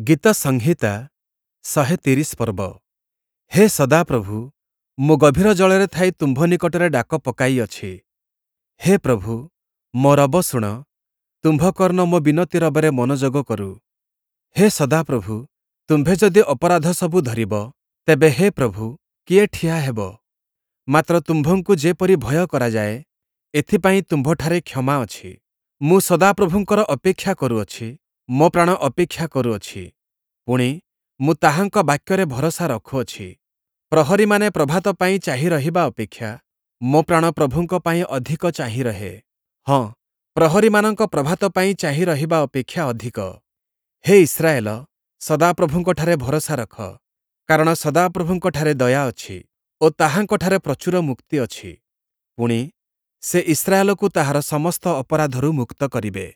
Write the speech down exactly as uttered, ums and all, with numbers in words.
ଗୀତସଂହିତା ଶହେ ତିରିଶ ପର୍ବ। ହେ ସଦାପ୍ରଭୁ, ମୁଁ ଗଭୀର ଜଳରେ ଥାଇ ତୁମ୍ଭ ନିକଟରେ ଡାକ ପକାଇଅଛି। ହେ ପ୍ରଭୁ, ମୋ ରବ ଶୁଣ, ତୁମ୍ଭ କର୍ଣ୍ଣ ମୋ ବିନତି ରବରେ ମନୋଯୋଗ କରୁ। ହେ ସଦାପ୍ରଭୁ, ତୁମ୍ଭେ ଯଦି ଅପରାଧସବୁ ଧରିବ, ତେବେ ହେ ପ୍ରଭୁ, କିଏ ଠିଆ ହେବ? ମାତ୍ର ତୁମ୍ଭଙ୍କୁ ଯେପରି ଭୟ କରାଯାଏ, ଏଥିପାଇଁ ତୁମ୍ଭଠାରେ କ୍ଷମା ଅଛି। ମୁଁ ସଦାପ୍ରଭୁଙ୍କର ଅପେକ୍ଷା କରୁଅଛି, ମୋ ପ୍ରାଣ ଅପେକ୍ଷା କରୁଅଛି, ପୁଣି, ମୁଁ ତାହାଙ୍କ ବାକ୍ୟରେ ଭରସା ରଖୁଅଛି। ପ୍ରହରୀମାନେ ପ୍ରଭାତ ପାଇଁ ଚାହିଁ ରହିବା ଅପେକ୍ଷା ମୋ ପ୍ରାଣ ପ୍ରଭୁଙ୍କ ପାଇଁ ଅଧିକ ଚାହିଁ ରହେ। ହଁ, ପ୍ରହରୀମାନଙ୍କ ପ୍ରଭାତ ପାଇଁ ଚାହିଁ ରହିବା ଅପେକ୍ଷା ଅଧିକ। ହେ ଇସ୍ରାଏଲ, ସଦାପ୍ରଭୁଙ୍କଠାରେ ଭରସା ରଖ, କାରଣ ସଦାପ୍ରଭୁଙ୍କଠାରେ ଦୟା ଅଛି ଓ ତାହାଙ୍କଠାରେ ପ୍ରଚୁର ମୁକ୍ତି ଅଛି। ପୁଣି, ସେ ଇସ୍ରାଏଲକୁ ତାହାର ସମସ୍ତ ଅପରାଧରୁ ମୁକ୍ତ କରିବେ।